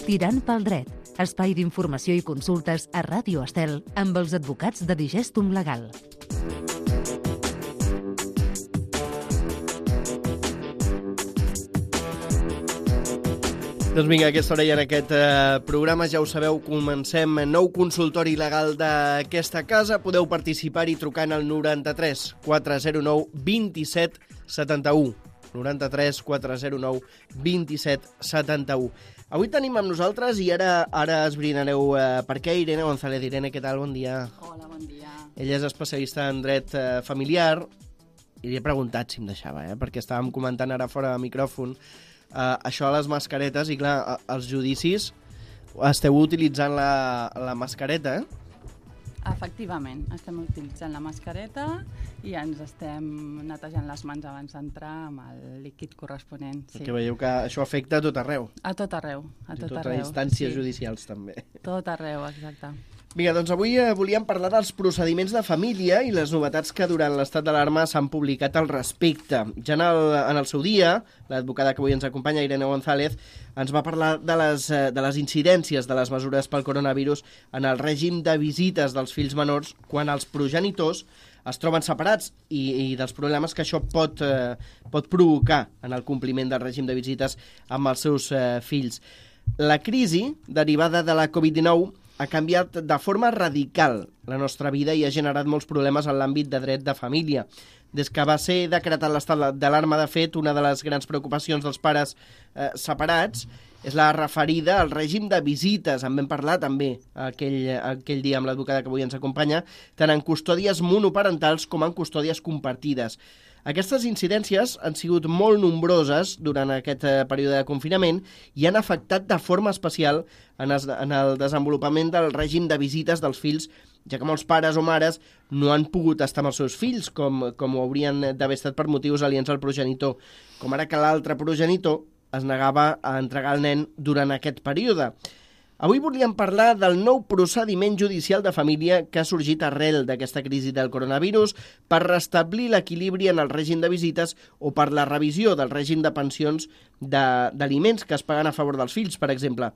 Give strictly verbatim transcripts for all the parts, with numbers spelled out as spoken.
Tirant pel dret, espai d'informació i consultes a Ràdio Estel amb els advocats de Digèstum Legal. Doncs vinga, a aquesta hora i en aquest eh, programa, ja ho sabeu, comencem nou consultori legal d'aquesta casa. Podeu participar-hi trucant al noranta-tres quatre zero nou vint set setanta-u. noranta-tres quatre zero nou vint set setanta-u. Avui tenim amb nosaltres, i ara ara esbrinareu eh, per què, Irene González. Irene, què tal? Bon dia. Hola, bon dia. Ella és especialista en dret eh, familiar, i li he preguntat si em deixava, eh, perquè estàvem comentant ara fora de micròfon Uh, això a les mascaretes, i clar, als judicis esteu utilitzant la, la mascareta, eh? Efectivament, estem utilitzant la mascareta i ens estem netejant les mans abans d'entrar amb el líquid corresponent. Sí. Perquè veieu que això afecta a tot arreu. A tot arreu, a tot arreu. A arreu. instàncies sí. judicials, també. Tot arreu, exacte. Vinga, doncs avui eh, volíem parlar dels procediments de família i les novetats que durant l'estat d'alarma s'han publicat al respecte. Ja en el, en el seu dia, l'advocada que avui ens acompanya, Irene González, ens va parlar de les, de les incidències de les mesures pel coronavirus en el règim de visites dels fills menors quan els progenitors es troben separats i, i dels problemes que això pot, eh, pot provocar en el compliment del règim de visites amb els seus eh, fills. La crisi derivada de la covid dinou ha canviat de forma radical la nostra vida i ha generat molts problemes en l'àmbit de dret de família. Des que va ser decretat l'estat d'alarma, de fet, una de les grans preocupacions dels pares eh, separats és la referida al règim de visites. En vam parlar també aquell, aquell dia amb l'advocada que avui ens acompanya, tant en custòdies monoparentals com en custòdies compartides. Aquestes incidències han sigut molt nombroses durant aquest eh, període de confinament i han afectat de forma especial en, es, en el desenvolupament del règim de visites dels fills, ja que molts pares o mares no han pogut estar amb els seus fills, com, com ho haurien d'haver estat per motius aliens al progenitor, com ara que l'altre progenitor es negava a entregar el nen durant aquest període. Avui volíem parlar del nou procediment judicial de família que ha sorgit arrel d'aquesta crisi del coronavirus per restablir l'equilibri en el règim de visites o per la revisió del règim de pensions d'aliments que es paguen a favor dels fills, per exemple.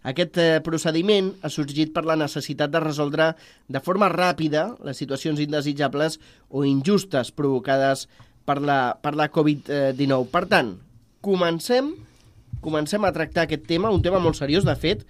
Aquest eh, procediment ha sorgit per la necessitat de resoldre de forma ràpida les situacions indesitjables o injustes provocades per la, per la covid dinou. Per tant, comencem, comencem a tractar aquest tema, un tema molt seriós, de fet,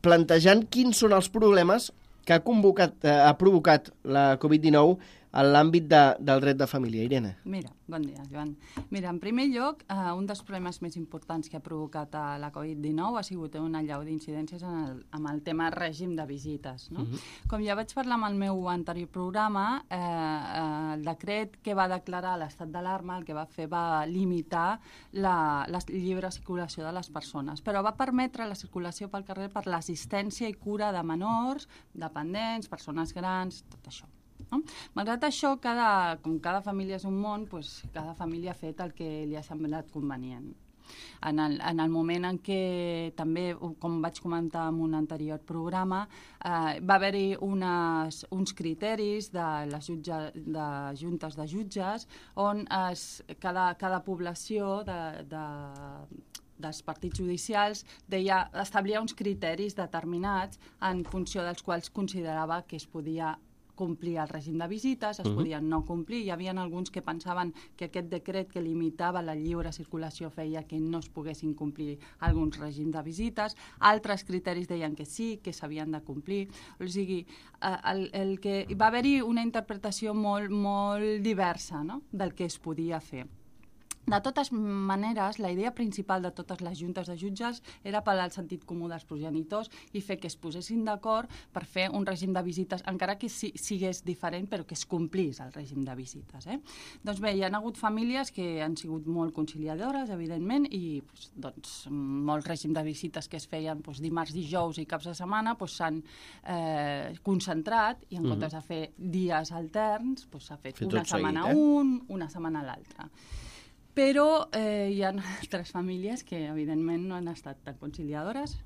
plantejant quins són els problemes que ha, convocat, eh, ha provocat la covid dinou en l'àmbit de, del dret de família. Irene. Mira, bon dia, Joan. Mira, en primer lloc, eh, un dels problemes més importants que ha provocat eh, la covid dinou ha sigut una allau d'incidències en el, amb el tema règim de visites. No? Uh-huh. Com ja vaig parlar amb el meu anterior programa, eh, eh, el decret que va declarar l'estat d'alarma el que va fer va limitar la, la lliure circulació de les persones, però va permetre la circulació pel carrer per l'assistència i cura de menors, dependents, persones grans, tot això. No? Malgrat això, cada, com cada família és un món, doncs cada família ha fet el que li ha semblat convenient. En el, en el moment en què també, com vaig comentar en un anterior programa, eh, va haver-hi unes, uns criteris de les jutge, de juntes de jutges on es, cada, cada població de, de dels partits judicials deia, establia uns criteris determinats en funció dels quals considerava que es podia complir el règim de visites, es uh-huh. podien no complir. Hi havia alguns que pensaven que aquest decret que limitava la lliure circulació feia que no es poguessin complir alguns règims de visites. Altres criteris deien que sí, que s'havien de complir. O sigui, el, el que va haver-hi una interpretació molt, molt diversa, no?, del que es podia fer. De totes maneres, la idea principal de totes les juntes de jutges era apel·lar al sentit comú dels progenitors i fer que es posessin d'acord per fer un règim de visites, encara que si, sigués diferent, però que es complís el règim de visites. Eh? Doncs bé, hi ha hagut famílies que han sigut molt conciliadores, evidentment, i doncs, molts règims de visites que es feien doncs, dimarts, dijous i caps de setmana doncs, s'han eh, concentrat i en mm-hmm. comptes de fer dies alterns doncs, s'ha fet Fet una setmana seguit, eh? un, una setmana l'altra. Però eh, hi ha altres famílies que, evidentment, no han estat tan conciliadores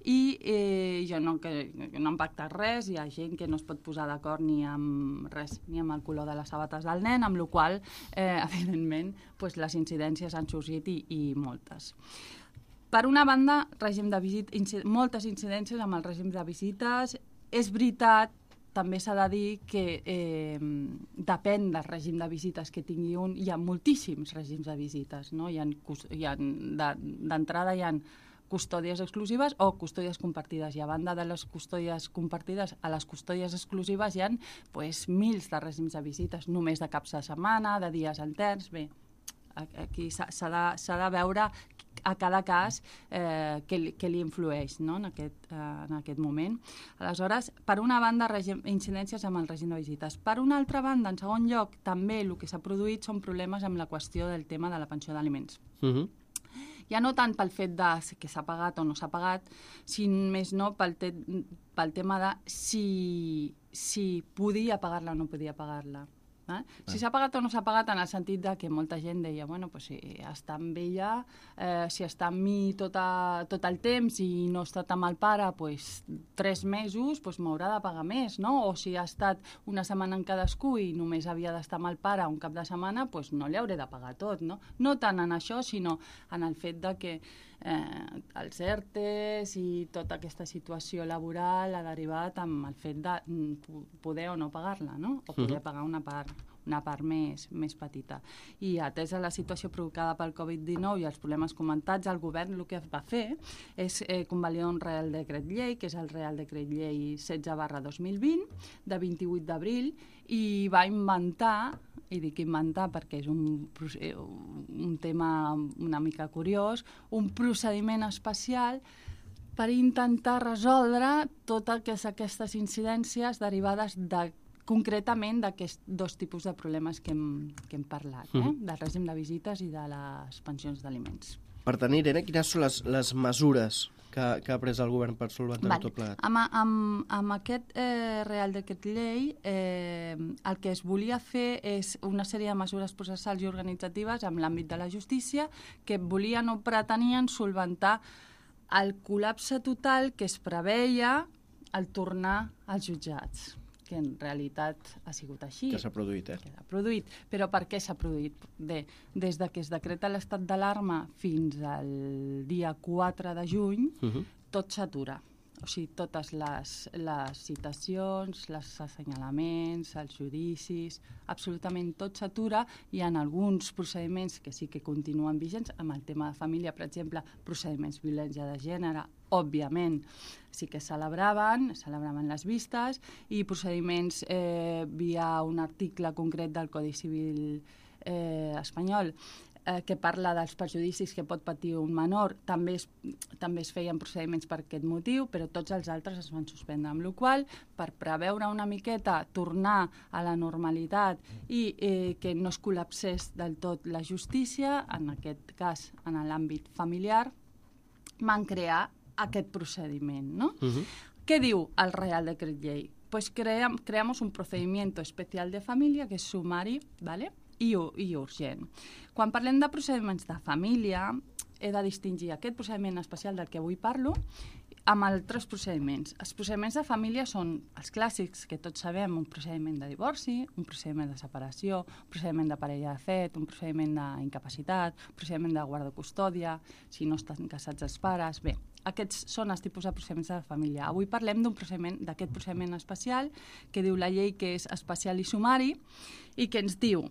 i eh, jo no, que, no han pactat res, hi ha gent que no es pot posar d'acord ni amb res, ni amb el color de les sabates del nen, amb la qual cosa, eh, evidentment, pues, les incidències han sorgit i, i moltes. Per una banda, règim de visit, inci- moltes incidències amb el règim de visites. És veritat, també s'ha de dir que eh, depèn del règim de visites que tingui un. Hi ha moltíssims règims de visites, no? Hi ha, hi ha, d'entrada hi ha custòdies exclusives o custòdies compartides. I a banda de les custòdies compartides, a les custòdies exclusives hi ha pues, mils de règims de visites, només de caps de setmana, de dies alterns. Bé, aquí s'ha de, s'ha de veure a cada cas eh, què, li, què li influeix, no? en, aquest, eh, en aquest moment. Aleshores, per una banda, règim, incidències amb el règim de visites. Per una altra banda, en segon lloc, també el que s'ha produït són problemes amb la qüestió del tema de la pensió d'aliments. Uh-huh. Ja no tant pel fet de que s'ha pagat o no s'ha pagat, sinó més no pel, te, pel tema de si, si podia pagar-la o no podia pagar-la. Eh? Si s'ha pagat o no s'ha pagat, en el sentit de que molta gent deia, bueno, pues, si està amb ella, eh, si està amb mi tot, a, tot el temps i no ha estat amb el pare pues, tres mesos, pues, m'haurà de pagar més, no? O si ha estat una setmana en cadascú i només havia d'estar amb el pare un cap de setmana, pues, no li hauré de pagar tot, no? No tant en això, sinó en el fet de que eh, els ERTEs i tota aquesta situació laboral ha derivat amb el fet de poder o no pagar-la, no? O poder pagar una part una part més, més petita. I atesa la situació provocada pel covid dinou i els problemes comentats, el govern el que va fer és eh, convalidar un Real Decret Llei, que és el Real Decret Llei setze barra dos mil vint, de vint-i-vuit d'abril, i va inventar, i dic inventar perquè és un, un tema una mica curiós, un procediment especial per intentar resoldre totes aquestes incidències derivades de concretament d'aquests dos tipus de problemes que hem, que hem parlat, eh? Mm. Del règim de visites i de les pensions d'aliments. Per tant, Irene, quines són les, les mesures que, que ha pres el govern per solventar tot plegat? Amb, amb, amb aquest eh, Real Decret Llei eh, el que es volia fer és una sèrie de mesures processals i organitzatives en l'àmbit de la justícia que volien o pretenien solventar el col·lapse total que es preveia al tornar als jutjats, que en realitat ha sigut així. Que s'ha produït, eh? Que s'ha produït. Però per què s'ha produït? Bé, des de que es decreta l'estat d'alarma fins al dia quatre de juny, uh-huh. tot s'atura. O sigui, totes les, les citacions, els assenyalaments, els judicis, absolutament tot s'atura. Hi ha alguns procediments que sí que continuen vigents, amb el tema de família, per exemple, procediments de violència de gènere, òbviament, sí que celebraven, celebraven les vistes, i procediments eh, via un article concret del Codi Civil eh, espanyol, eh, que parla dels perjudicis que pot patir un menor, també es, també es feien procediments per aquest motiu, però tots els altres es van suspendre, amb la qual cosa, per preveure una miqueta, tornar a la normalitat i eh, que no es col·lapsés del tot la justícia, en aquest cas en l'àmbit familiar, van crear aquest procediment, ¿no? Uh-huh. ¿Qué diu el Real Decret Llei? Pues cream, creamos un procedimiento especial de família que és sumari, ¿vale? I, i urgent. Quan parlem de procediments de família, he de distingir aquest procediment especial del que avui parlo amb altres procediments. Els procediments de família són els clàssics, que tots sabem, un procediment de divorci, un procediment de separació, un procediment de parella de fet, un procediment d'incapacitat, un procediment de guarda custòdia, si no estan casats els pares. Bé, aquests són els tipus de procediments de família. Avui parlem d'un procediment, d'aquest procediment especial, que diu la llei que és especial i sumari, i que ens diu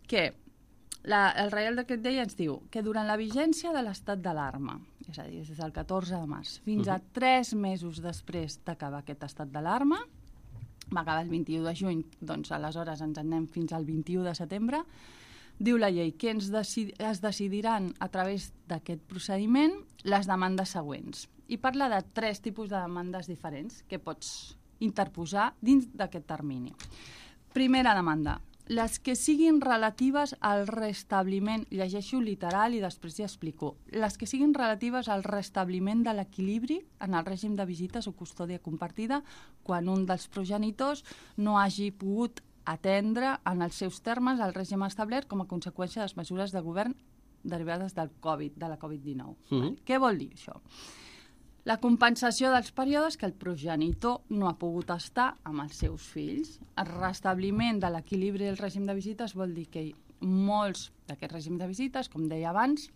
que la, el Real Decret Llei ens diu que durant la vigència de l'estat d'alarma, és a dir, des del catorze de març fins a tres mesos després d'acabar aquest estat d'alarma, va acabar el vint-i-u de juny, doncs aleshores ens en anem fins al vint-i-u de setembre, diu la llei que ens decid, es decidiran a través d'aquest procediment les demandes següents. I parla de tres tipus de demandes diferents que pots interposar dins d'aquest termini. Primera demanda, les que siguin relatives al restabliment, llegeixo literal i després ja explico, les que siguin relatives al restabliment de l'equilibri en el règim de visites o custòdia compartida quan un dels progenitors no hagi pogut atendre en els seus termes el règim establert com a conseqüència de les mesures de govern derivades del Covid, de la Covid dinou. Mm. Vale? Què vol dir això? La compensació dels períodes que el progenitor no ha pogut estar amb els seus fills. El restabliment de l'equilibri del règim de visites vol dir que molts d'aquests règims de visites, com deia abans,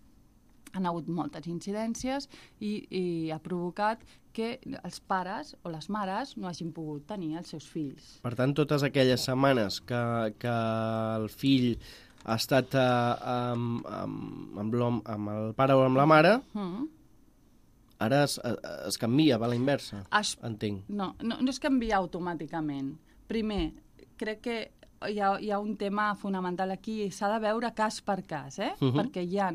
han hagut moltes incidències i, i ha provocat que els pares o les mares no hagin pogut tenir els seus fills. Per tant, totes aquelles setmanes que, que el fill ha estat eh, amb, amb, amb, l'home- amb el pare o amb la mare, Mm. ara es, es canvia, va a la inversa, Es, entenc. no, no, no es canvia automàticament. Primer, crec que hi ha, hi ha un tema fonamental aquí, s'ha de veure cas per cas, eh? Mhm. Perquè hi ha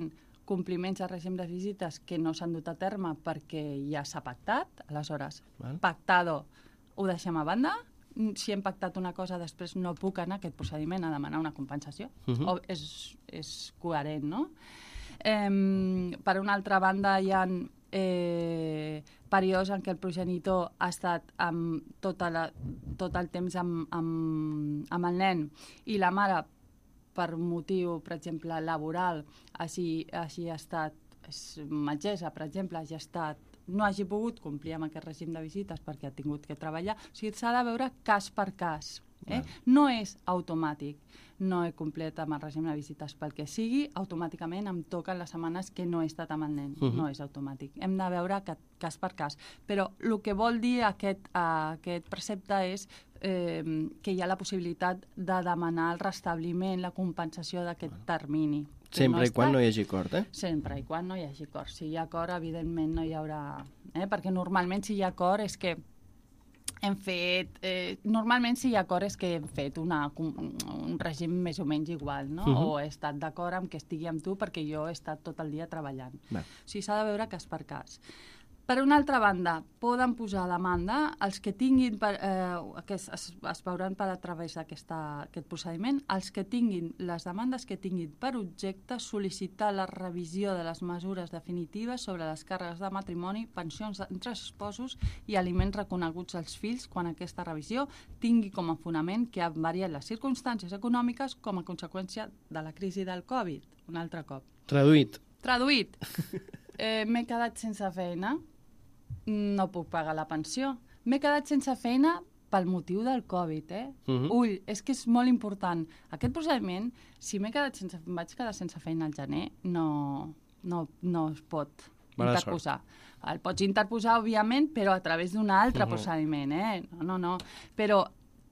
compliments de règim de visites que no s'han dut a terme perquè ja s'ha pactat, aleshores, Val. pactado ho deixem a banda, si hem pactat una cosa després no puc anar a aquest procediment a demanar una compensació. Mhm. O és, és coherent, no? Eh, per una altra banda, hi ha eh, períodes en què el progenitor ha estat amb tota la, tot el temps amb, amb, amb el nen i la mare, per motiu, per exemple, laboral, així, així ha estat, és metgessa, per exemple, hagi estat, no hagi pogut complir amb aquest règim de visites perquè ha tingut que treballar. O sigui, s'ha de veure cas per cas. Eh? No és automàtic. No he complet amb el règim de visites pel que sigui, automàticament em toquen les setmanes que no he estat amb el nen. Uh -huh. No és automàtic. Hem de veure ca cas per cas. Però el que vol dir aquest, uh, aquest precepte és eh, que hi ha la possibilitat de demanar el restabliment, la compensació d'aquest termini. Sempre no i quan està... no hi hagi acord, eh? Sempre i quan no hi hagi acord. Si hi ha acord, evidentment no hi haurà... Eh? Perquè normalment si hi ha acord és que hem fet... Eh, normalment si hi ha acord és que hem fet una, un règim més o menys igual, no? Uh-huh. O he estat d'acord amb que estigui amb tu perquè jo he estat tot el dia treballant. Va. O sigui, s'ha de veure cas per cas. Per una altra banda, poden posar demanda els que tinguin, per, eh, que es, es, es veuran per a través d'aquest procediment, els que tinguin, les demandes que tinguin per objecte sol·licitar la revisió de les mesures definitives sobre les càrregues de matrimoni, pensions entre esposos i aliments reconeguts als fills quan aquesta revisió tingui com a fonament que han variat les circumstàncies econòmiques com a conseqüència de la crisi del Covid. Un altre cop. Traduït. Traduït. Eh, m'he quedat sense feina, no puc pagar la pensió. M'he quedat sense feina pel motiu del Covid, eh? Uh-huh. Ull, és que és molt important. Aquest procediment, si m'he quedat sense, em vaig quedar sense feina al gener, no, no, no es pot Mala interposar. El pots interposar, òbviament, però a través d'un altre Uh-huh. procediment, eh? No, no, no. Però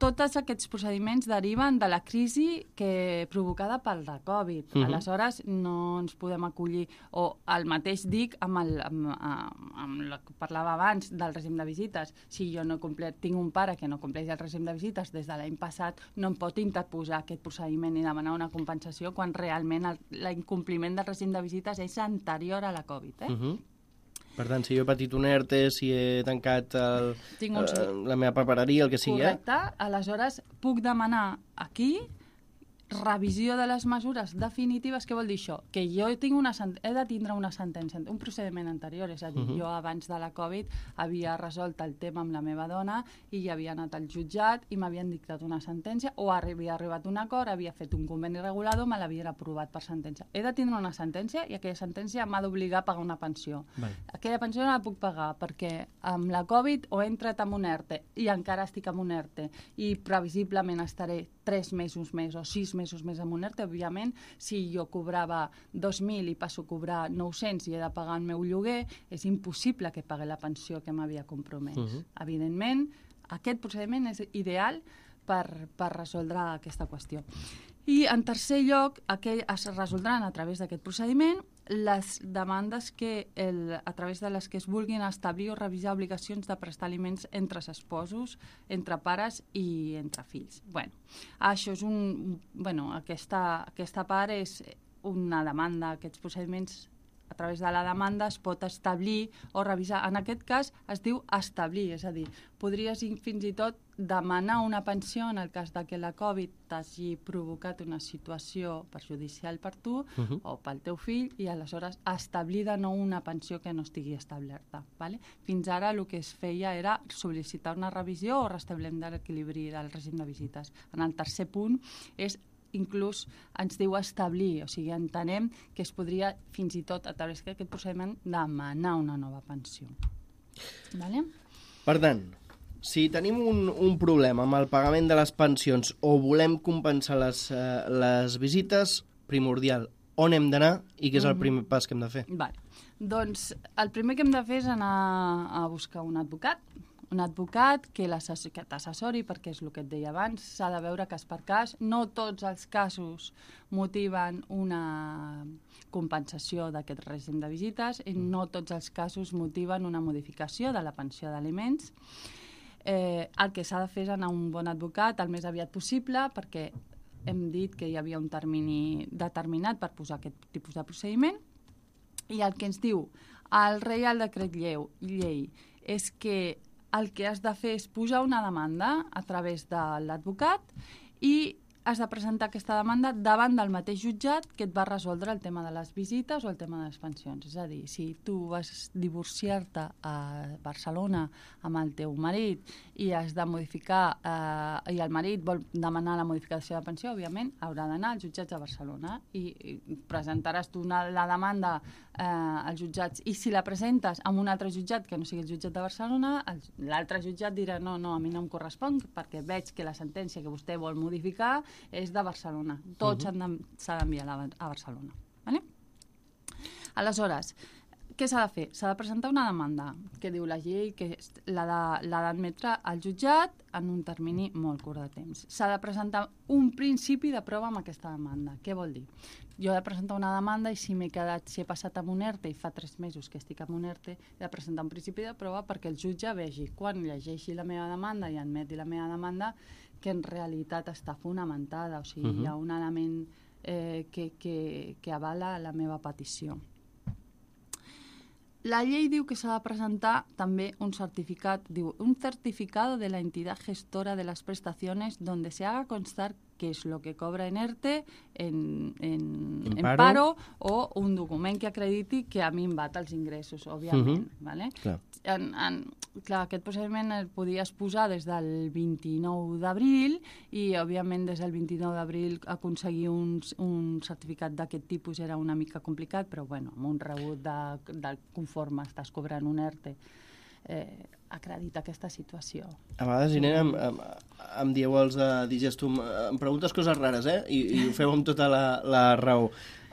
tots aquests procediments deriven de la crisi que provocada pel de Covid. Uh-huh. Aleshores, no ens podem acollir... O el mateix dic amb, el, amb, amb, amb el que parlava abans del règim de visites. Si jo no complet, tinc un pare que no compleix el règim de visites des de l'any passat, no em pot interposar aquest procediment i demanar una compensació quan realment l'incompliment del règim de visites és anterior a la Covid. Eh? Uh-huh. Per tant, si jo he patit un ERTE, si he tancat el, Tinc un... eh, la meva papereria, el que sigui, Correcte. Aleshores, puc demanar aquí revisió de les mesures definitives. Què vol dir això? Que jo tinc una he de tindre una sentència, un procediment anterior, és a dir, uh-huh. jo abans de la Covid havia resolt el tema amb la meva dona i ja havia anat al jutjat i m'havien dictat una sentència o havia arribat a un acord, havia fet un conveni regulador, me l'havien aprovat per sentència. He de tindre una sentència i aquella sentència m'ha d'obligar a pagar una pensió. Vale. Aquella pensió no la puc pagar perquè amb la Covid o he entrat en un ERTE i encara estic en un ERTE i previsiblement estaré tres mesos més o sis mesos més amb un ERTE. Òbviament, si jo cobrava dos mil i passo a cobrar nou-cents i he de pagar el meu lloguer, és impossible que pagui la pensió que m'havia compromès. Uh-huh. Evidentment, aquest procediment és ideal per, per resoldre aquesta qüestió. I, en tercer lloc, aquell, es resoldran a través d'aquest procediment les demandes que el, a través de les que es vulguin establir o revisar obligacions de prestar aliments entre esposos, entre pares i entre fills. Bueno, això és un... Bueno, aquesta, aquesta part és una demanda, aquests procediments a través de la demanda es pot establir o revisar. En aquest cas es diu establir, és a dir, podries fins i tot demanar una pensió en el cas de que la Covid t'hagi provocat una situació perjudicial per tu uh-huh. o pel teu fill i aleshores establir de nou una pensió que no estigui establerta. Vale? Fins ara el que es feia era sol·licitar una revisió o restabliment de l'equilibri del règim de visites. En el tercer punt és inclús ens diu establir, o sigui, entenem que es podria fins i tot a través d'aquest procediment demanar una nova pensió. Vale? Per tant, si tenim un, un problema amb el pagament de les pensions o volem compensar les, uh, les visites, primordial, on hem d'anar i què és el primer pas que hem de fer? Vale. Doncs el primer que hem de fer és anar a buscar un advocat, un advocat que t'assessori, perquè és el que et deia abans, s'ha de veure cas per cas. No tots els casos motiven una compensació d'aquest règim de visites i no tots els casos motiven una modificació de la pensió d'aliments. Eh, el que s'ha de fer és anar a un bon advocat el més aviat possible, perquè hem dit que hi havia un termini determinat per posar aquest tipus de procediment, i el que ens diu el Reial Decret Llei és que el que has de fer és pujar una demanda a través de l'advocat i has de presentar aquesta demanda davant del mateix jutjat que et va resoldre el tema de les visites o el tema de les pensions. És a dir, si tu vas divorciar-te a Barcelona amb el teu marit i has de modificar, eh, i el marit vol demanar la modificació de pensió, òbviament haurà d'anar als jutjats de Barcelona i, i presentaràs tu una, la demanda eh, als jutjats, i si la presentes amb un altre jutjat que no sigui el jutjat de Barcelona, l'altre jutjat dirà no, no, a mi no em correspon perquè veig que la sentència que vostè vol modificar és de Barcelona. Tots uh-huh. s'ha d'enviar a Barcelona. Vale? Aleshores, què s'ha de fer? S'ha de presentar una demanda que diu la llei que l'ha d'admetre al jutjat en un termini molt curt de temps. S'ha de presentar un principi de prova amb aquesta demanda. Què vol dir? Jo he de presentar una demanda i si m'he quedat, si he passat amb un ERTE i fa tres mesos que estic amb un ERTE, he de presentar un principi de prova perquè el jutge vegi, quan llegeixi la meva demanda i admeti la meva demanda, que en realitat està fonamentada, o sigui, uh-huh. hi ha un element eh, que, que, que avala la meva petició. La llei diu que s'ha de presentar també un certificat, diu, un certificado de la entidad gestora de las prestaciones donde se haga constar qué es lo que cobra en ERTE, en, en, en, en paro? paro, o un document que acrediti que a mi em bat els ingressos, òbviament. Uh-huh. Vale? Clar. En, en, clar, aquest procediment el podies posar des del vint-i-nou d'abril i, òbviament, des del vint-i-nou d'abril aconseguir un, un certificat d'aquest tipus era una mica complicat, però, bueno, amb un rebut de, de conforme estàs cobrant un ERTE, eh, acredita aquesta situació. A vegades, Irene, em, em, em dieu els de Digestum, em preguntes coses rares, eh? I, i ho feu amb tota la, la raó.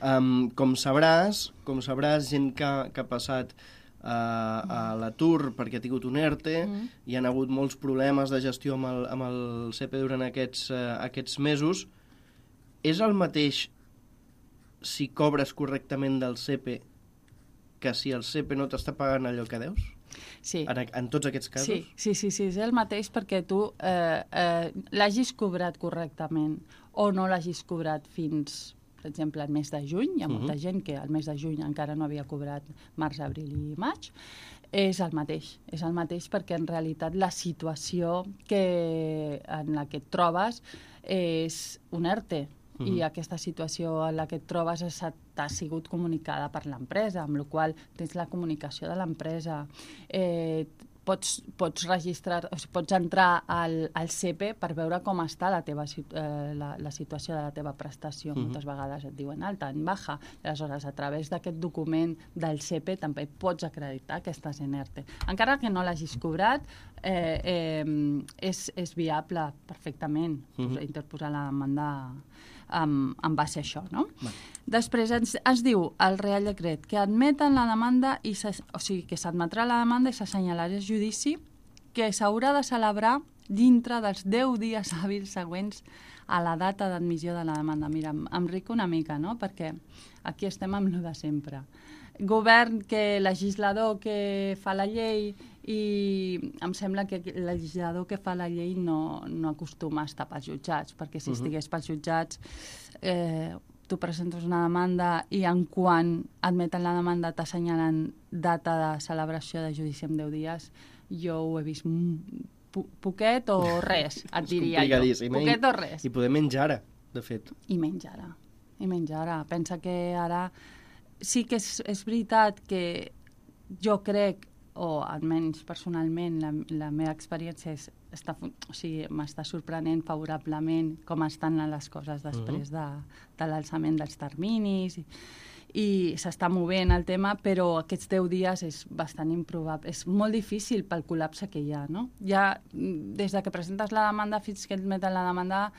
Um, com sabràs, com sabràs, gent que, que ha passat uh, a l'atur perquè ha tingut un ERTE, mm. hi han hagut molts problemes de gestió amb el, amb el C E P E durant aquests, uh, aquests mesos. És el mateix si cobres correctament del C E P E que si el C E P E no t'està pagant allò que deus? Sí. En, en tots aquests casos? Sí, sí, sí, sí, és el mateix perquè tu eh, eh, l'hagis cobrat correctament o no l'hagis cobrat fins, per exemple, el mes de juny. Hi ha molta uh-huh. gent que el mes de juny encara no havia cobrat març, abril i maig. És el mateix, és el mateix perquè en realitat la situació que, en la que et trobes és un ERTE. Uh-huh. I aquesta situació en la que et trobes t'ha sigut comunicada per l'empresa, amb la qual tens la comunicació de l'empresa. Eh, pots, pots registrar, o sigui, pots entrar al, al C E P E per veure com està la, teva, eh, la, la situació de la teva prestació. Uh-huh. Moltes vegades et diuen alta, en baja. Aleshores, a través d'aquest document del C E P E també pots acreditar que estàs en ERTE. Encara que no l'hagis cobrat, eh, eh, és, és viable perfectament uh-huh. interposar la demanda en, en base a això, no? Bueno. Després ens, ens diu el Reial Decret que admeten la demanda, i o sigui, que s'admetrà la demanda i s'assenyalarà el judici que s'haurà de celebrar dintre dels deu dies hàbils següents a la data d'admissió de la demanda. Mira, em, em rico una mica, no?, perquè aquí estem amb lo de sempre. Govern, que legislador que fa la llei, i em sembla que el legislador que fa la llei no, no acostuma a estar pels jutjats, perquè si uh-huh. estigués pels jutjats eh, tu presentes una demanda i en quan admeten la demanda t'assenyalen data de celebració de judici en deu dies. Jo ho he vist po poquet o res, et diria jo. Poquet o res. I poder menys ara, de fet. I menys ara. I menys ara. Pensa que ara sí que és, és veritat que jo crec, o almenys personalment la, la meva experiència és està, o sigui, m'està sorprenent favorablement com estan les coses després de, de l'alçament dels terminis i, i s'està movent el tema, però aquests deu dies és bastant improbable. És molt difícil pel col·lapse que hi ha, no? Ja, des de que presentes la demanda fins que et meten la demanda,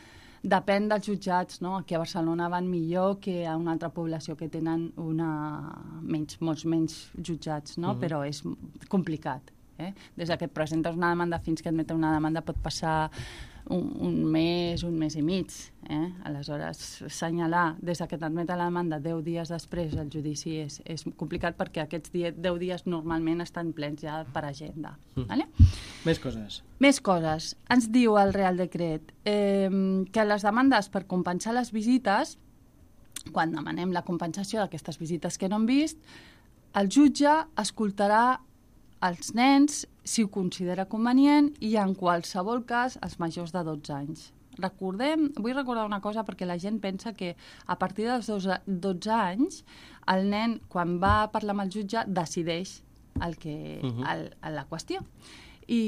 depèn dels jutjats, no? Aquí a Barcelona van millor que a una altra població que tenen una... menys, molts menys jutjats, no? Uh-huh. Però és complicat. Eh? Des que et presentes una demanda fins que et meten una demanda pot passar un, un mes, un mes i mig. Eh? Aleshores, assenyalar des que t'admeten la demanda deu dies després el judici és, és complicat perquè aquests deu dies normalment estan plens ja per agenda. Mm. Vale? Més coses. Més coses. Ens diu el Real Decret eh, que les demandes per compensar les visites, quan demanem la compensació d'aquestes visites que no hem vist, el jutge escoltarà els nens si ho considera convenient i en qualsevol cas els majors de dotze anys. Recordem, vull recordar una cosa perquè la gent pensa que a partir dels dotze anys el nen, quan va a parlar amb el jutge, decideix el que, uh-huh. el, la qüestió. I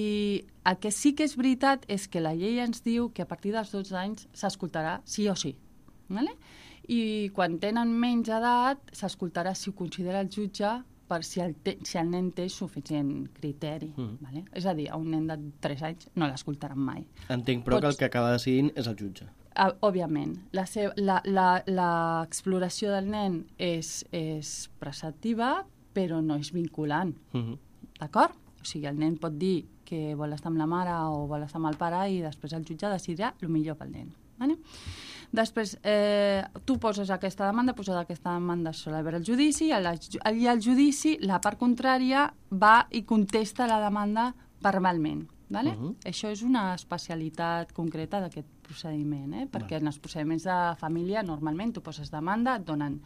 el que sí que és veritat és que la llei ens diu que a partir dels dotze anys s'escoltarà sí o sí. Vale? I quan tenen menys edat s'escoltarà si ho considera el jutge per si el, te, si el nen té suficient criteri. Mm. Vale? És a dir, a un nen de tres anys no l'escoltaran mai. Entenc, però Pots... que el que acaba decidint és el jutge. Uh, òbviament. L'exploració del nen és, és preceptiva, però no és vinculant. Mm-hmm. D'acord? O sigui, el nen pot dir que vol estar amb la mare o vol estar amb el pare i després el jutge decidirà el millor pel nen. Vale? Després, eh, tu poses aquesta demanda, poses aquesta demanda sobre el judici, i al judici la part contrària va i contesta la demanda verbalment. Vale? Uh-huh. Això és una especialitat concreta d'aquest procediment, eh? Perquè vale. En els procediments de família normalment tu poses demanda, et donen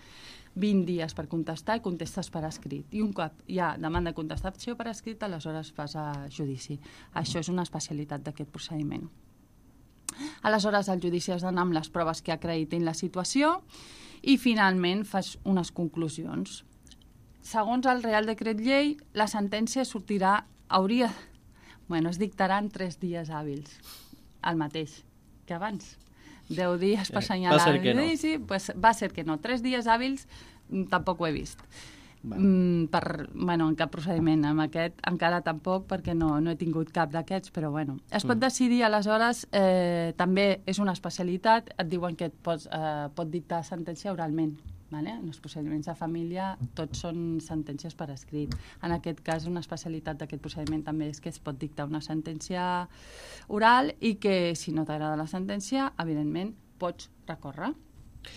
vint dies per contestar i contestes per escrit. I un cop hi ha demanda de contestació per escrit, aleshores fas a judici. Això és una especialitat d'aquest procediment. Aleshores, el judici has d'anar amb les proves que acreditin la situació i, finalment, fas unes conclusions. Segons el Real Decret Llei, la sentència sortirà, hauria... Bueno, es dictarà en tres dies hàbils, el mateix que abans. Deu dies per assenyalar el judici, no. Pues va ser que no. Tres dies hàbils tampoc ho he vist. Mm, per, bueno, en cap procediment. Amb aquest encara tampoc, perquè no, no he tingut cap d'aquests, però bueno. Es pot mm. decidir, aleshores, eh, també és una especialitat, et diuen que et pots, eh, pot dictar sentència oralment. Vale? En els procediments de família tots són sentències per escrit. En aquest cas, una especialitat d'aquest procediment també és que es pot dictar una sentència oral i que, si no t'agrada la sentència, evidentment, pots recórrer.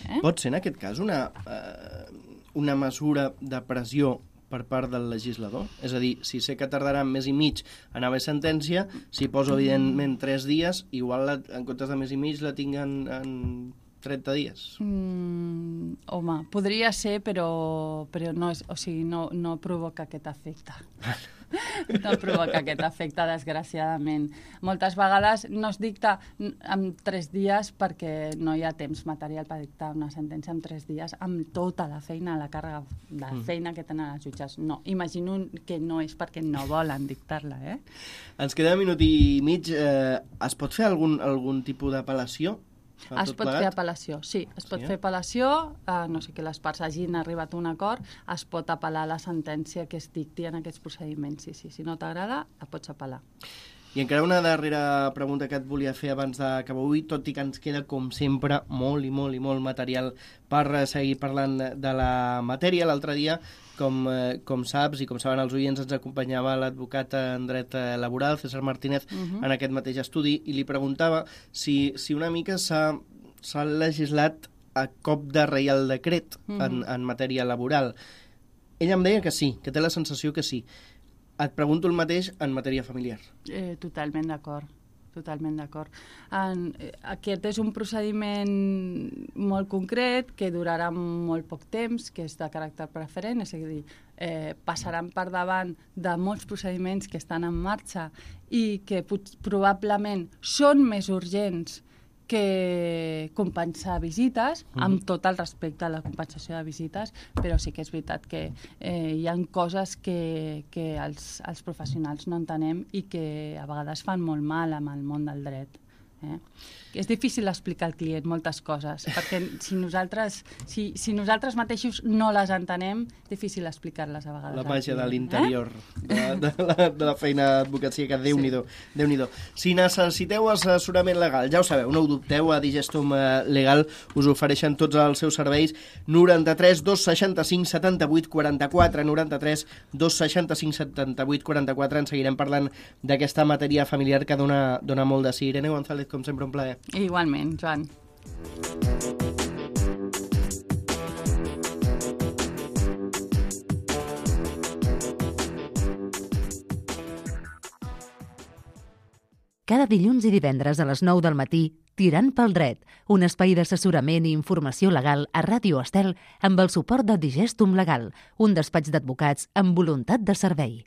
Eh? Pot ser, en aquest cas, una, eh, una mesura de pressió per part del legislador? És a dir, si sé que tardarà més i mig en haver sentència, si poso, evidentment, tres dies, igual la, en comptes de més i mig la tinc en... en trenta dies. Mm, home, podria ser, però, però no, és, o sigui, no, no provoca aquest efecte. No provoca aquest efecte, desgraciadament. Moltes vegades no es dicta en tres dies perquè no hi ha temps material per dictar una sentència en tres dies amb tota la feina, la càrrega de mm. feina que tenen els jutges. No, imagino que no és perquè no volen dictar-la, eh? Ens queda un minut i mig. Eh, es pot fer algun, algun tipus d'apel·lació? Es pot plegat? fer apel·lació, sí. Es pot sí, eh? fer apel·lació, eh, no sé que les parts hagin arribat a un acord, es pot apel·lar la sentència que es dicti en aquests procediments. Sí, sí. Si no t'agrada, la pots apel·lar. I encara una darrera pregunta que et volia fer abans d'acabar avui, tot i que ens queda, com sempre, molt i molt i molt material per seguir parlant de la matèria. L'altre dia, com, eh, com saps i com saben els oients, ens acompanyava l'advocat en dret laboral, César Martínez, uh-huh. en aquest mateix estudi, i li preguntava si, si una mica s'ha, s'ha legislat a cop de reial decret uh-huh. en, en matèria laboral. Ell em deia que sí, que té la sensació que sí. Et pregunto el mateix en matèria familiar. Eh, totalment d'acord, totalment d'acord. En, eh, aquest és un procediment molt concret que durarà molt poc temps, que és de caràcter preferent, és a dir, eh, passaran per davant de molts procediments que estan en marxa i que probablement són més urgents que compensar visites, mm. amb tot el respecte a la compensació de visites, però sí que és veritat que eh, hi ha coses que, que els, els professionals no entenem i que a vegades fan molt mal amb el món del dret. Eh? És difícil explicar al client moltes coses, perquè si nosaltres, si, si nosaltres mateixos no les entenem, és difícil explicar-les a vegades. La màgia de l'interior eh? de, de, la, de la feina d'advocacia, que Déu-n'hi-do. Sí. Déu-n'hi-do. Si necessiteu assessorament legal, ja ho sabeu, no ho dubteu, a Digestum Legal us ofereixen tots els seus serveis. Noranta-tres dos seixanta-cinc setanta-vuit quaranta-quatre, noranta-tres dos seixanta-cinc setanta-vuit quaranta-quatre. En seguirem parlant d'aquesta matèria familiar que dona, dona molt de sí. Irene González, com sempre, un plaer. Igualment, Joan. Cada dilluns i divendres a les nou del matí, Tirant pel dret, un espai d'assessorament i informació legal a Ràdio Estel amb el suport de Digestum Legal, un despatx d'advocats amb voluntat de servei.